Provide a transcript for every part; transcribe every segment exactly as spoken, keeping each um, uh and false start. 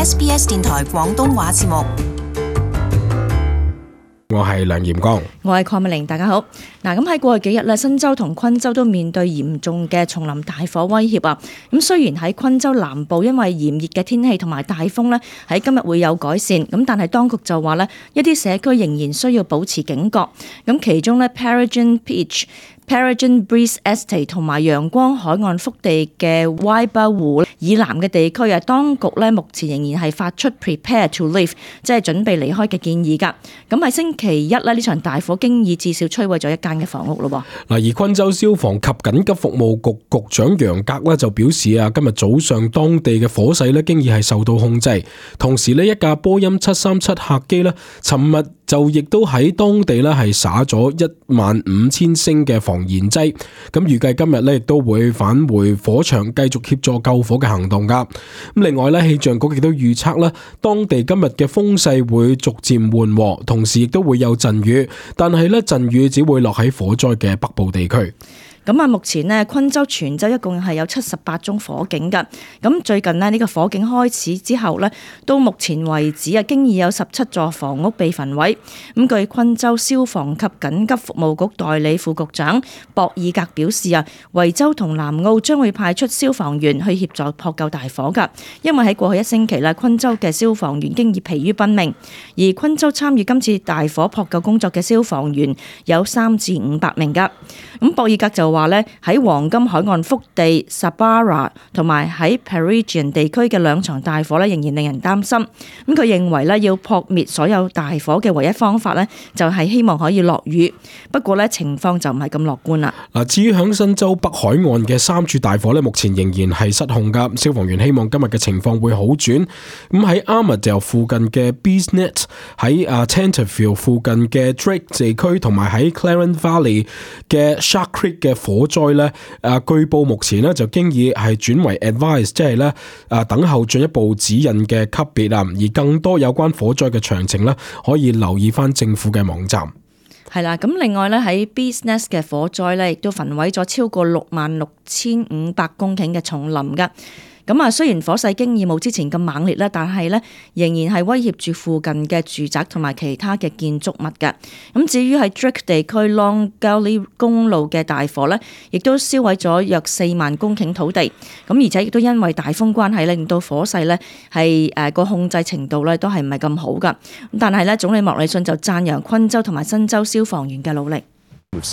S B S 電台廣東話節目。我係梁炎光，我係鄺美玲，大家好。嗱，咁喺過去幾日咧，新州同昆州都面對嚴重嘅叢林大火威脅啊。咁雖然喺昆州南部因為炎熱嘅天氣同埋大風咧，喺今日會有改善，咁但係當局就話咧，一啲社區仍然需要保持警覺。咁其中咧 Paragon Beach、Paragon Breeze Estate 同埋陽光海岸腹地嘅 Waiba 湖以南嘅地區啊，當局咧目前仍然係發出 Prepare to Leave， 即係準備離開嘅建議㗎。咁喺星期一咧，呢場大火經已至少摧毀咗一間嘅房屋咯。嗱，而昆州消防及緊急服務局局長楊格咧就表示啊，今日早上當地嘅火勢咧經已係受到控制，同時呢，一架波音七三七客機咧，尋日就亦都喺當地咧係灑咗一萬五千升嘅防燃劑，咁預計今日咧亦都會返回火場繼續協助救火嘅行動噶。咁另外咧，氣象局亦都預測咧，當地今日嘅風勢會逐漸緩和，同時亦都會有陣雨，但係咧陣雨只會落喺火災嘅北部地區。咁啊，目前呢，昆州全州一共係有七十八宗火警㗎。咁最近呢，呢個火警開始之後呢，到目前為止啊，經已有十七座房屋被焚毀。咁據昆州消防及緊急服務局代理副局長博爾格表示啊，維州同南澳將會派出消防員去協助撲救大火㗎。因為喺過去一星期咧，昆州嘅消防員經已疲於奔命，而昆州參與今次大火撲救工作嘅消防員有三至五百名㗎。咁博爾格就話咧，喺黃金海岸腹地 Sabara 同埋喺 Paragon 地區嘅兩場大火咧，仍然令人擔心。咁佢認為咧，要撲滅所有大火嘅唯一方法咧，就係希望可以落雨。不過咧，情況就唔係咁樂觀啦。嗱，至於響新州北海岸嘅三處大火咧，目前仍然係失控噶。消防員希望今日嘅情況會好轉。咁喺 Armadale 附近嘅 Beesnet， 喺啊 Tenterfield 附近嘅 Drake 地區，同埋喺 Clarence Valley 嘅 Shark Creek 嘅火災咧，誒據報目前咧就經已係轉為 advise， 即係咧誒等候進一步指引嘅級別啊，而更多有關火災嘅詳情咧，可以留意翻政府嘅網站。係啦，咁另外咧喺 Beesnest 嘅火災咧，亦都焚毀咗超過六萬六千五百公頃嘅叢林噶。咁啊，雖然火勢經已冇之前咁猛烈啦，但係咧仍然係威脅住附近嘅住宅同埋其他嘅建築物嘅。咁至於喺 Drake 地區 Long Gully 公路嘅大火咧，亦都燒毀咗約四萬公頃土地。咁而且亦都因為大風關係，令到火勢咧係誒個控制程度咧都係唔係咁好噶。咁但係咧，總理莫里遜就讚揚昆州同埋新州消防員嘅努力。嗱，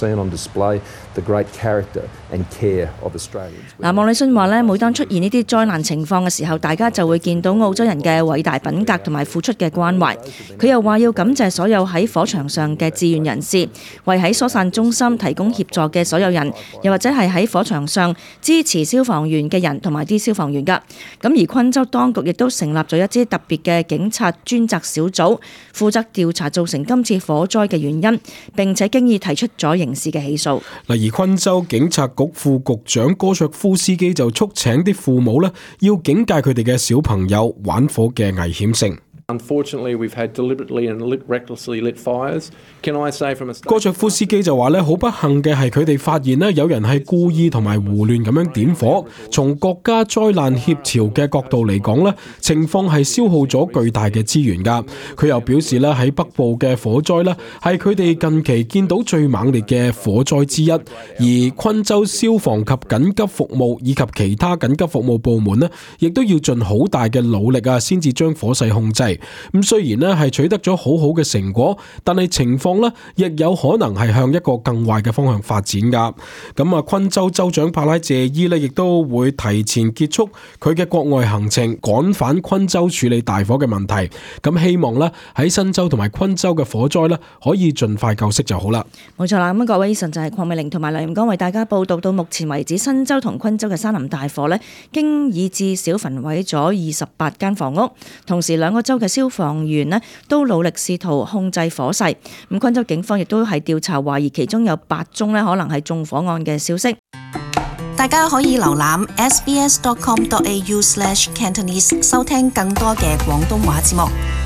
莫里遜話咧，每當出現呢啲災難情況嘅時候，大家就會見到澳洲人嘅偉大品格同埋付出嘅關懷。佢又話要感謝所有喺火場上嘅志願人士，為喺疏散中心提供協助嘅所有人，又或者係喺火場上支持消防員嘅人同埋啲消防員噶。咁而昆州當局亦都成立咗一支特別嘅警察專責小組，負責調查造成今次火災嘅原因，並且經已提出咗刑事嘅起訴。嗱，而昆州警察局副局長哥卓夫斯基就促請啲父母咧，要警戒佢哋嘅小朋友玩火嘅危險性。Unfortunately, we've had deliberately and recklessly lit fires. Can I say from a start? 哥卓夫斯基就話咧，好不幸嘅係佢哋發現咧，有人係故意同埋胡亂咁樣點火。從國家災難協調嘅角度嚟講咧，情況係消耗咗巨大嘅資源㗎。佢又表示咧，喺北部嘅火災咧，係佢哋近期見到最猛烈嘅火災之一。而昆州消防及緊急服務以及其他緊急服務部門咧，亦都要盡好大嘅努力啊，先至將火勢控制。咁雖然咧係取得咗好好嘅成果，但係情況咧亦有可能係向一個更壞嘅方向發展噶。咁啊，昆州州長帕拉謝伊咧亦都會提前結束佢嘅國外行程，趕返昆州處理大火嘅問題。咁希望咧喺新州同埋昆州嘅火災咧可以盡快救熄就好啦。冇錯啦，咁各位以上就係鄺美玲同埋梁炎光為大家報道。到目前為止，新州同昆州嘅山林大火咧，經已至少焚毀咗二十八間房屋，同時兩個州嘅消防員咧都努力試圖控制火勢。咁昆州警方亦都係調查懷疑其中有八宗咧可能係縱火案嘅消息。大家可以瀏覽 s b s dot com dot a u slash cantonese 收聽更多嘅廣東話節目。